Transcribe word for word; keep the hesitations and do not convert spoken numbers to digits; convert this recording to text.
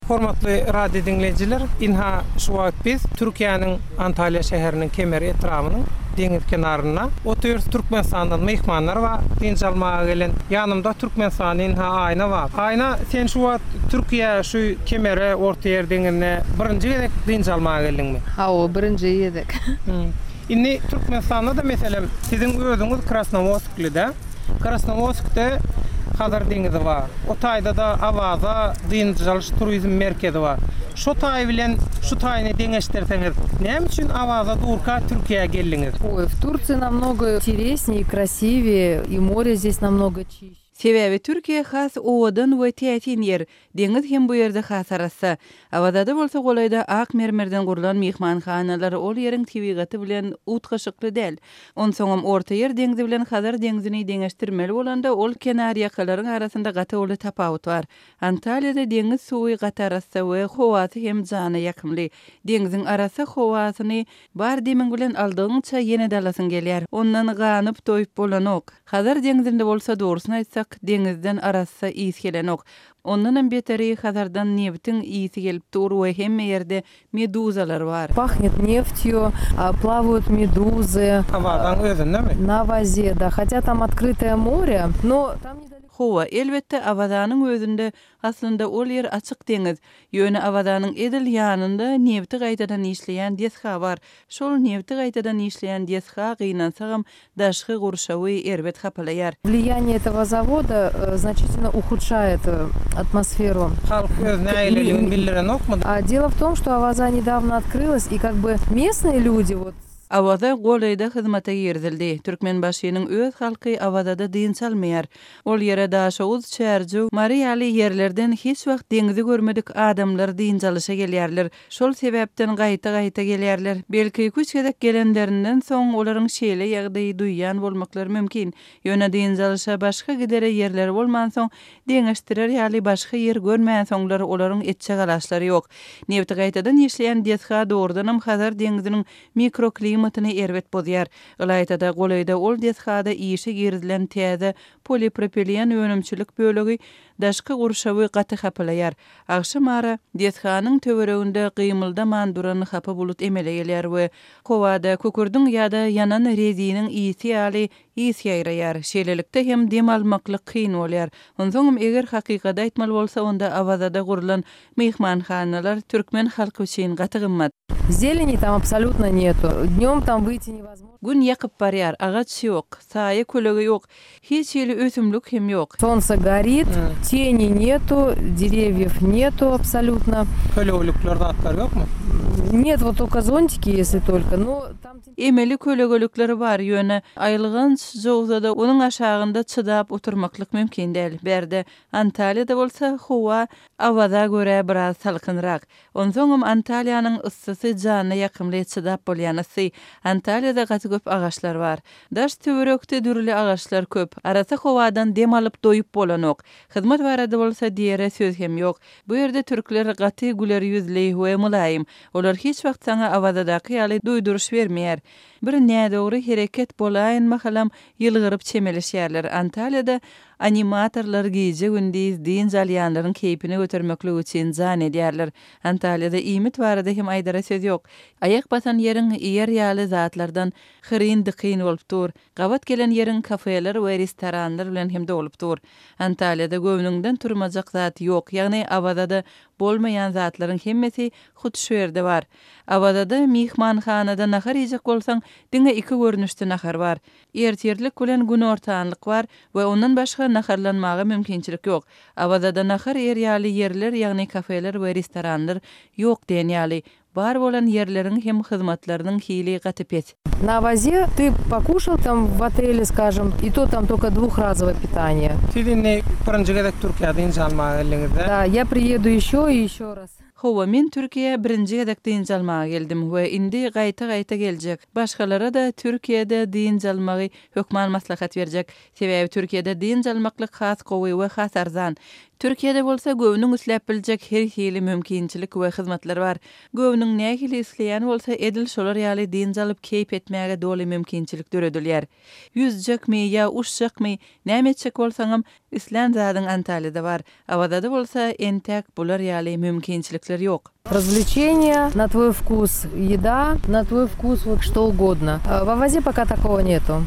Hormatly radio diňleýjiler, ynha şu wagt biz Türkiýäniň Antalýa şäheriniň Kemer etrabynyň deňiz kenarynda otyrys. Türkmenistandan myhmanlar bar, dynç almaga gelen. Ýanymda Türkmenistanyň ynha Aýna bar. Aýna, sen şu wagt Türkiýä şu Kemere, Ortaýer deňizine birinji gezek dynç almaga geldiňmi? Hawa, birinji gezek. Indi Türkmenistanda-da meselem, siziň özüňiz Krasnowodskly-da. Krasnowodskde Hazar deňizi bar. O taýda-da Awaza dynç alyş turizm merkezi bar. Şu taý bilen şu taýyny deňeşdirseňiz, näme üçin Awaza durka Türkiýä geldiňiz? Ой, в Турции намного интереснее и красивее, и море здесь намного чище. Sebäbi Türkiýe has owadan we täsin ýer, deňiz hem bu ýerde has arassa. Awazada bolsa golaýda ak mermerden gurlan myhmanhanalar ol ýeriň tebigaty bilen utgaşykly däl. Onsoňam Ortaýer deňzi bilen Hazar deňzini deňeşdirmeli bolanda ol kenarýakalaryň arasynda gaty uly tapawut bar. Antalýada deňiz suwy gaty arassa we howasy hem jana ýakymly. Deňziň arassa howasyny bar demiň bilen aldygyňça ýene dalasyň gelýär. Ondan ganyp doýup bolanok. Hazar deňzinde bolsa dogrusyny aýtsak, deňizden arassa ys gelenok. Ondanam beteri Hazardan nebitiň ysy gelip dur we hemme ýerde meduzalar bar. Пахнет нефтью, а, плавают медузы. Awazaň özündemi? На Авазе, да. Хотя там открытое море, но там недалеко. Hawa, elbetde Awazanyň özünde aslynda ol ýer açyk deňiz. Ýöne Awazanyň edil ýanynda nebiti gaýtadan işleýän desga bar. Şol nebiti gaýtadan işleýän desga gynansagam daşky gurşawy erbet hapalaýar. Влияние этого завода э, значительно ухудшает э, атмосферу. Halk öz nägileligini bildirenokmy? А дело в том, что Аваза недавно открылась, и как бы местные люди вот Awaza golaýda hyzmata girizildi. Türkmenbaşynyň öz halky Awazada dynç almaýar. Ol ýere Daşoguz, Çärjew, Mary ýaly ýerlerden hiç wagt deňizi görmedik adamlar dynç alyşa gelýärler. Şol sebäpden gaýta-gaýta gelýärler. Belki iki-üç gezek gelenlerinden soň olaryň şeýle ýagdaýy duýýan bolmaklary mümkin. Ýöne dynç alyşa başga gidere ýerleri bolmansoň, deňeşdirer ýaly başga ýer görmänsoňlar olaryň etjek alaçlary ýok. Nebiti gaýtadan işleýän desga dogrudanam Hazar deňziniň mikroklimatyny erbet bozýar. Ylaýtada golaýda ol desgada işe girizilen täze polipropilen önümçilik bölegi daşky gurşawy gaty hapalaýar. Agşam ara desganyň töwereginde gymyldaman duran hapa bulut emele gelýär we howada kükürdiň ýa-da ýanan reziniň ysy ýaly ys ýaýraýar. Şeýlelikde hem dem almaklyk kyn bolýar. Onsoňam eger hakykady aýtmaly bolsa, onda Awazada gurlan myhmanhanalar türkmen halky üçin gaty gymmat. Зелени там абсолютно нету. Днем там выйти невозможно. Gün ýakyp barýar, agaç ýok, saýa kölege ýok, hiç hili ösümlik hem ýok. Солнце горит, Hmm. тени нету, деревьев нету абсолютно. Kölegelikler zatlar ýokmy? Нет, вот только зонтики, если только. Но там Emeli kölegelikleri bar, ýöne aýylganç jowzada onuň aşagynda çydap oturmaklyk mümkin däl. Bärde Antalýada bolsa howa Awaza görä biraz salkynrak. Onsoňam Antalýanyň yssysy jana ýakymly çydap bolýan yssy. Antalýada gaty köp agaçlar bar. Daş töwerekde dürli agaçlar köp. Arassa howadan dem alyp doýup bolanok. Hyzmat barada bolsa diýere söz hem ýok. Bu ýerde türkler gaty güler ýüzli we mylaýym. Olar hiç wagt saňa Awazadaky ýaly duýduryş bermeýär. Bir nädogry hereket bolaýyn mahalam ýylgyryp çemeleşýärler. Antalýada animatorlar gije gündiz dynç alýanlaryň keýpini götermeklik üçin jan edýärler. Antalýada iýmit barada hem aýdara söz ýok. Aýak basan ýeriň iýer ýaly zatlardan hyryn dykyn bolup dur. Gabat gelen ýeriň kafeler we restoranlar bilen hem dolup dur. Antalýada göwnüňden turmajak zat ýok, ýagny Awazada bolmaýan zatlaryň hemmesi hut şu ýerde bar. Awazada myhmanhanada nahar iýjek bolsaň, diňe iki görnüşde nahar bar. Ertirlik bilen günortanlyk bar we ondan başga naharlanmaga mümkinçilik ýok. Awazada nahar iýer ýaly ýerler, ýagny kafeler we restoranlar ýok diýen ýaly. Bar bolan ýerleriň hem hyzmatlarynyň hili gaty pes. На Авазе ты покушал там в отеле, скажем, и то там только двухразовое питание. Siz indi birinji gezek Türkiýä dynç almaga geldiňiz-de? Да, я приеду еще и еще раз. Hawa, men Türkiýä birinji gezek dynç almaga geldim we indi gaýta-gaýta geljek. Başgalara da Türkiýede dynç almagy hökman maslahat berjek. Sebäbi Türkiýede dynç almaklyk has gowy we has arzan. Türkiýede bolsa göwnüň isläp biljek her hili mümkinçilik we hyzmatlar bar. Göwnüň nähili isleýän bolsa edil şolar ýaly dynç alyp keýp etmäge doly mümkinçilik döredilýär. Ýüzjekmi ýa uçjakmy, näme etjek bolsaňam Islän zadyň Antalýada bar. Awazada bolsa entäk bular ýaly mümkinçilikler ýok. Развлечения на твой вкус, еда на твой вкус, вот что угодно. В Авазе пока такого нету.